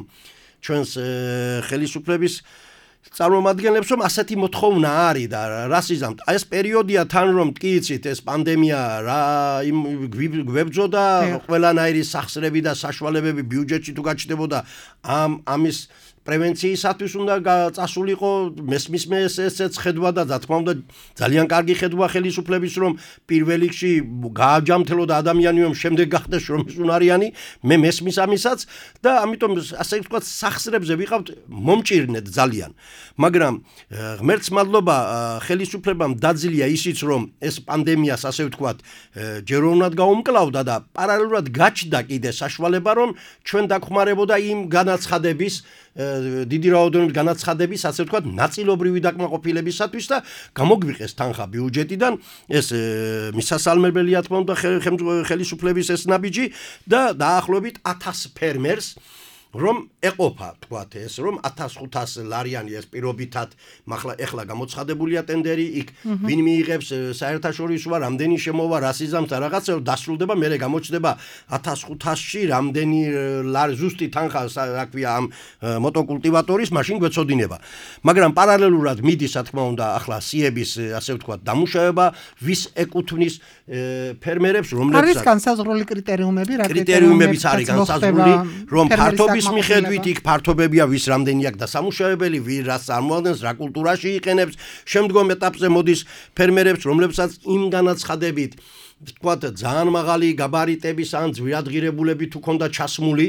ჩვენს ხელისუფლების წარმომადგენლებს რომ ასეთი მოთხოვნა არის და რას იზამთ? ეს პერიოდია თან რომ კი იცით ეს პანდემია რა გვებძოდა ყველანაირი სახსრები და საშუალებები ბიუჯეტში თუ გაჩნდებოდა ამის პრევენციისათვის უნდა წასულიყო მესმისმე ესეც ხედვა და თქმა უნდა ძალიან კარგი ხედვა ხელისუფლების რომ პირველ რიგში გააჯამთელო და ადამიანი რომ შემდეგ გახდეს შრომისუნარიანი მე მესმის ამისაც და ამიტომ ასე ვთქვათ სახსრებზე ვიყავთ მომჭირნეთ ძალიან მაგრამ ღმერთს მადლობა ხელისუფლებამ დაძილია ისიც რომ ეს პანდემიას ასე ვთქვათ ჯეროვნად გაუმკლავდა და პარალელურად გაჩნდა კიდე საშუალება რომ ჩვენ დაგხმარებოდა იმ განაცხადების დიდი რაოდენობით განაცხადების ასე ვთქვათ ნაწილობრივი დაკმაყოფილებისათვის და გამოგვიყეს თანხა ბიუჯეტიდან ეს მისასალმებელია თქმა უნდა ხელისუფლების ეს ნაბიჯი და დაახლოებით 1000 ფერმერს რომ ეყოფა თქვათ ეს რომ 1500 ლარიანი ეს პირობითად ეხლა გამოცხადებულია ტენდერი იქ ვინ მიიღებს საერთაშორისოა რამდენი შემოვა რა სიზამს და რაღაცა დასრულდება მე გამოჩნდება 1500-ში რამდენი ზუსტი თანხა რა ქვია ამ მოტოკულტივატორის მაშინ გვეცოდინება მაგრამ პარალელურად მიდის რა თქმა უნდა ახლა სიების ასე ვთქვათ დამუშავება ვის ეკუთვნის ფერმერებს რომლებსაც არის განსაზღვრული კრიტერიუმები რა კრიტერიუმებიც არის განსაზღვრული რომ ფართობის მიხედვით იქ ფართობებია ვის რამდენი აქვს დასამუშავებელი ვინ რას წარმოადგენს რა კულტურაში იყენებს შემდგომ ეტაპზე მოდის ფერმერებს რომლებსაც იმ განაცხადებით ვთქვათ ძალიან მაღალი გაბარიტების ან ძვირადღირებულებით უქონდა ჩასმული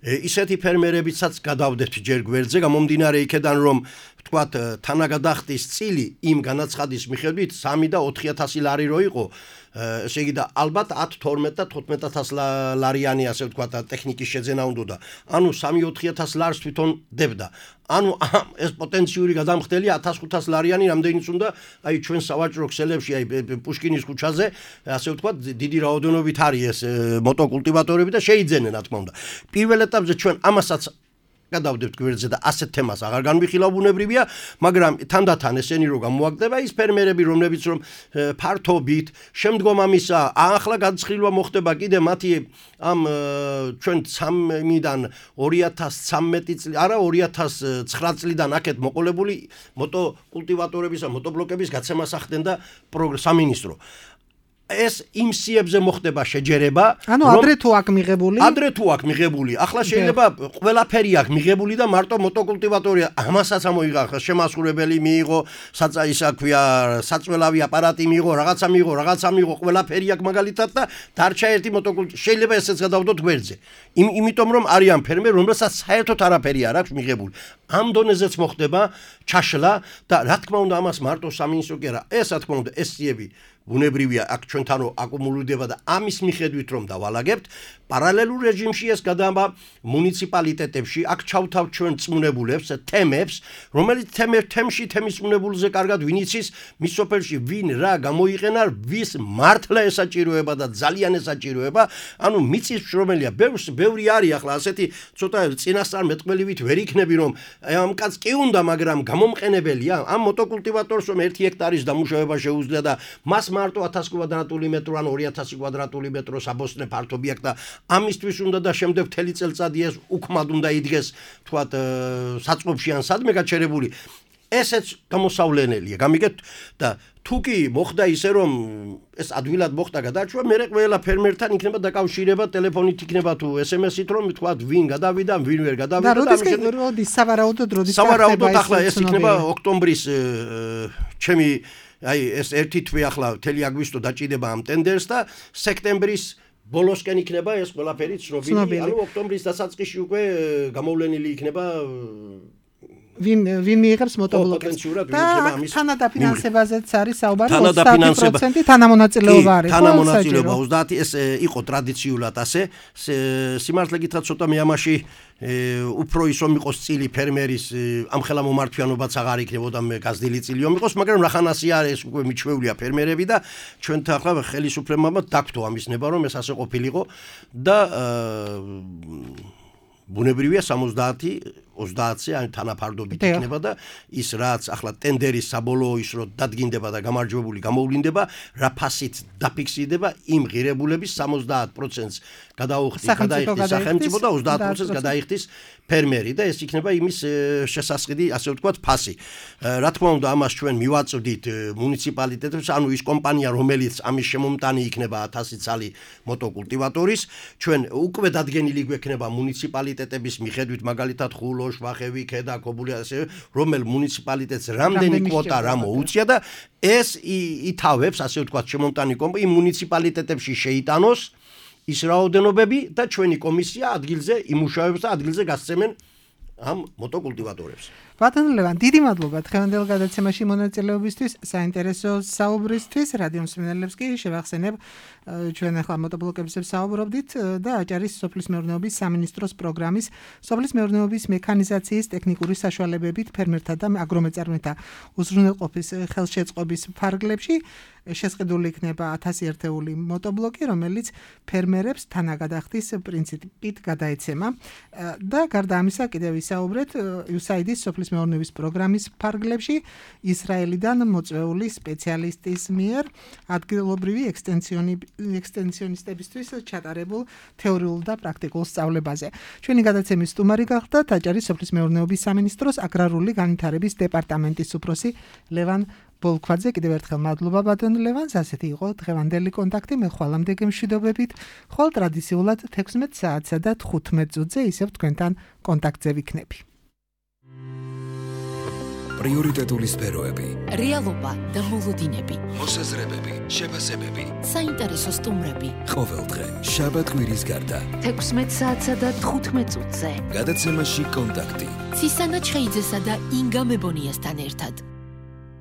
ისეთი ფერმერებიცაც გადავდებთ ჯერ გვერდზე გამომდინარე იქედან რომ ვთქვათ თანაგადახდის წილი იმ განაცხადის მიხედვით 3 და 4000 ლარი რო იყო ესე იგი და ალბათ 10 12 და 15000 ლარიანი ასე ვთქვათ ტექნიკის შეძენა უნდა ანუ 3-4000 ლარს თვითონ დებდა ანუ ეს პოტენციური გადამხდელი 1500 ლარიანი რამდენიც უნდა აი ჩვენ სავაჭრო ქსელებში აი პუშკინის ქუჩაზე ასე ვთქვათ დიდი რაოდენობით არის ეს მოტოკულტივატორები და შეიძენენ რა თქმა უნდა პირველ ეტაპზე ჩვენ ამასაც გადავდებთ გვერდზე და ასეთ თემას აღარ განვიხილავ ბუნებრივია, მაგრამ თანდათან ესენი რო გამოაგდება ის ფერმერები რომლებიც რომ ფართობით შემდგომ ამისა ახლა განცხილვა მოხდება კიდე მათი ამ ჩვენ 3-დან 2013 წელი არა 2009 წლიდან აქეთ მოყოლებული მოტოკულტივატორების და მოტობლოკების გაცემას ახდენდა სამინისტრო ეს იმ სიებზე მოხდება შეჯერება ანუ ადრე თუ აქ მიღებული ახლა შეიძლება ყველაფერი აქ მიღებული და მარტო მოტოკულტივატორია ამასაც ამოიღახა შემასრულებელი მიიღო ისა ქვია საწველავი აპარატი მიიღო რაღაცა მიიღო ყველაფერი აქ მაგალითად და დარჩა ერთი შეიძლება ესეც გადავდოთ გვერდზე იმიტომ რომ არიან ფერმერები რომელსაც საერთოდ არაფერი არ აქვს მიღებული ამ დონეზეც მოხდება ჩაშლა და რა თქმა უნდა ამას მარტო სამინისტრო კი არა ეს რა თქმა უნდა ეს სიები ბუნებრივია აქ ჩვენთან რო აკუმულირდება და ამის მიხედვით რომ დავალაგებთ პარალელურ რეჟიმში ეს გადავა მუნიციპალიტეტებში აქ ჩავთავთ ჩვენ წმუნებულებს თემებს რომელიც თემში თემის წმუნებულზე კარგად ვინ იცის მის სოფელში ვინ რა გამოიყენა ვის მართლა ესაჭიროება და ძალიან ესაჭიროება ანუ მიწის შრომელია ბევრი არის ახლა ასეთი ცოტა წინასწარმეტყველივით ვერ იქნები რომ ამ კაც კი უნდა მაგრამ გამომყენებელია ამ მოტოკულტივატორს რომ 1 ჰექტარის დამუშავება შეუძლია და მას მარტო 1000 კვადრატული მეტრო ან 2000 კვადრატული მეტრო საბოსტნე ფართობი აქვს და ამისთვის უნდა და შემდეგ მთელი წელწადი ეს უქმად უნდა იდგეს თქვათ საწყობში ან სადმე გაჩერებული ესეც გამოსავლენელია გამიგეთ და თუ კი მოხდა ისე რომ ეს ადვილად მოხდა გადარჩვა მე ყველა ფერმერთან იქნება დაკავშირება ტელეფონით იქნება თუ SMS-ით რომ თქვათ ვინ გადავიდა ვინ ვერ გადავიდა და როდის სავარაუდოდ ახლა ეს იქნება ოქტომბრის ჩემი აი ეს ერთი თვე ახლა მთელი აგვისტო დაჭიდება ამ ტენდერს და სექტემბრის ბოლოსკენ იქნება ეს ყველაფერი ცნობილი ანუ ოქტომბრის დასაწყისში უკვე გამოვლენილი იქნება ვინ მიიღებს მოტობლოკებს და თანადაფინანსებაზეც არის საუბარი 30% თანამონაწილეობა არის თანამონაწილეობა 30 ეს იყო ტრადიციულად ასე სიმართლე გითხრათ ცოტა მე ამაში უფრო ისო მიყოს წილი ფერმერის ამხელა მომართვიანობაც აღარ იქნებოდა მე გაზრდილი წილიო მიყოს მაგრამ რახანასი არის უკვე მიჩვეულია ფერმერები და ჩვენთან ახლა ხელისუფლებამ დაგთო ამის ნება რომ ეს ასე ყოფილიყო და ბუნებრივია 70-ზე ან თანაფარდობით იქნება და ის რაც ახლა ტენდერის საბოლოო ის რო დადგინდება და გამარჯვებული გამოვლინდება რა ფასით დაფიქსირდება იმ ღირებულების 70%-ს გადაიხდის სახელმწიფო და 30%-ს გადაიხდის ფერმერი და ეს იქნება იმის შესასყიდი ასე ვთქვათ ფასი. რა თქმა უნდა ამას ჩვენ მივაწვდით მუნიციპალიტეტებს ანუ ის კომპანია რომელიც ამის შემომტანი იქნება 1000 ცალი მოტოკულტივატორის ჩვენ უკვე დადგენილი გვექნება მუნიციპალიტეტების მიხედვით მაგალითად ხულო ბოლო, შვახევი, ქედა, ქობული ასე, რომელ მუნიციპალიტეტს რამდენი კვოტა რა მოუწია და ეს ითავებს, ასე ვთქვათ, შემომტანი კომპანია იმ მუნიციპალიტეტებში შეიტანოს ის რაოდენობები და ჩვენი კომისია ადგილზე იმუშავებს და ადგილზე გასცემენ ამ მოტოკულტივატორებს. ბატონო ლევან, დიდი მადლობა დღევანდელ გადაცემაში მონაწილეობისთვის, საინტერესო საუბრისთვის. რადიო მსმენელებს კი შევახსენებ, ჩვენ ახლა მოტობლოკებზე ვსაუბრობდით და აჭარის სოფლის მეურნეობის სამინისტროს პროგრამის სოფლის მეურნეობის მექანიზაციის ტექნიკური საშუალებებით ფერმერთა და აგრომეწარმეთა უზრუნველყოფის ხელშეწყობის ფარგლებში შესყიდული იქნება 1000 ერთეული მოტობლოკი, რომელიც ფერმერებს თანაგადახდის პრინციპით გადაეცემა და გარდა ამისა კიდევ ვისაუბრეთ USAID-ის სოფლის მეურნეობის პროგრამის ფარგლებში ისრაელიდან მოწვეული სპეციალისტის მიერ ადგილობრივი ექსტენსიონისტებისთვის ჩატარებულ თეორიულ და პრაქტიკულ სწავლებაზე. ჩვენი გადაცემის სტუმარი გახდა აჭარის სოფლის მეურნეობის სამინისტროს აგრარული განვითარების დეპარტამენტის უფროსი ლევან ბოლქვაძე. კიდევ ერთხელ მადლობა ბატონ ლევანს. ასეთი იყო დღევანდელი კონტაქტი. მე ხვალამდე გემშვიდობებით. ხვალ ტრადიციულად 16 საათსა და 15 წუთზე ისევ თქვენთან კონტაქტზე ვიქნები. პრიორიტეტული სფეროები, რეალობა და მოლოდინები, მოსაზრებები, შეფასებები, საინტერესო სტუმრები. ყოველდღე, შაბათ-კვირის გარდა. 16 საათსა და 15 წუთზე. გადაცემაში კონტაქტი. ცისანა ჩხეიძესა და ინგა მებონიასთან ერთად.